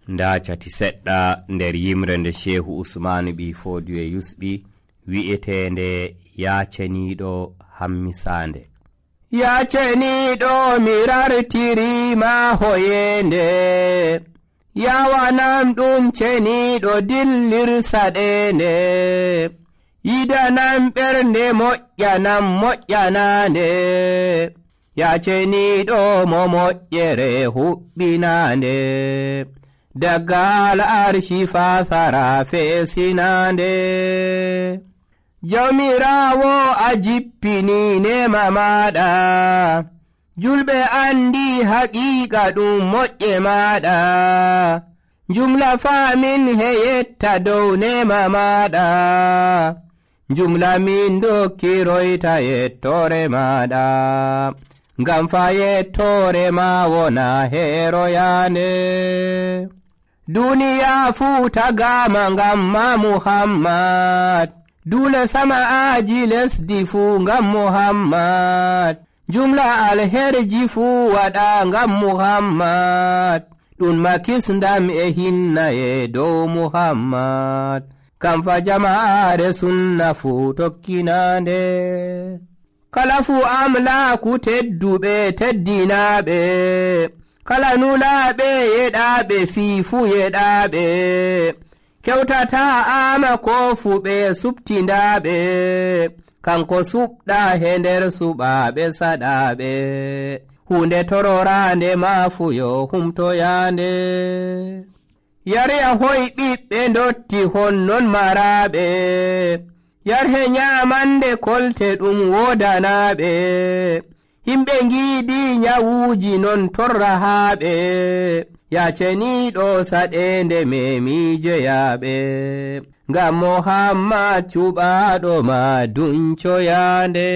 nda cati seɗɗa nder yimre nde Shehu Usmanu ɓi Fodiyo yusɓi wi'etende yaceniɗo hammisande. Yaceniɗo mi rartirima hoyende, yawanam ɗum ceniɗo dillirsaɗende, yidanam ɓernde moƴƴanande, yaceniɗo mo moƴƴere huɓɓinande, daggal arshi fasara fesinande. Jawmirawo a jippini nema maɗa, julɓe andi haqiqa ɗum moƴƴe maɗa, jumla famin heyetta dow nema maɗa, jumla min dokkiroyta yettore maɗa, ngam fa yettore ma wona heroyande. Duniya fu tagama ngam ma Muhammad, dule sama aji lesdi fu ngam Muhammad, jumla alherji fu waɗa ngam Muhammad, ɗum makisndam e hinnaye dow Muhammad, kam fa jama'are sunna fu tokkinande. Kala fu amlaku tedduɓe teddinaɓe, kala nulaɓe yeɗaɓe fiifu yeɗaɓe, kewtata ama ko fu ɓe subtindaɓe, kanko suɓɗa he nder suɓaɓe saɗaɓe, hunde tororande ma fu yo humtoyande. Yarya hoy ɓiɓɓe dotti honnon maraɓe, yarhe nyamande kolte ɗum wodanaɓe, himɓe giidi nyawuji non torrahaɓe, yaceniɗo saɗende memijeyaɓe, ngam Muhammad cuɓaɗo ma duncoyande.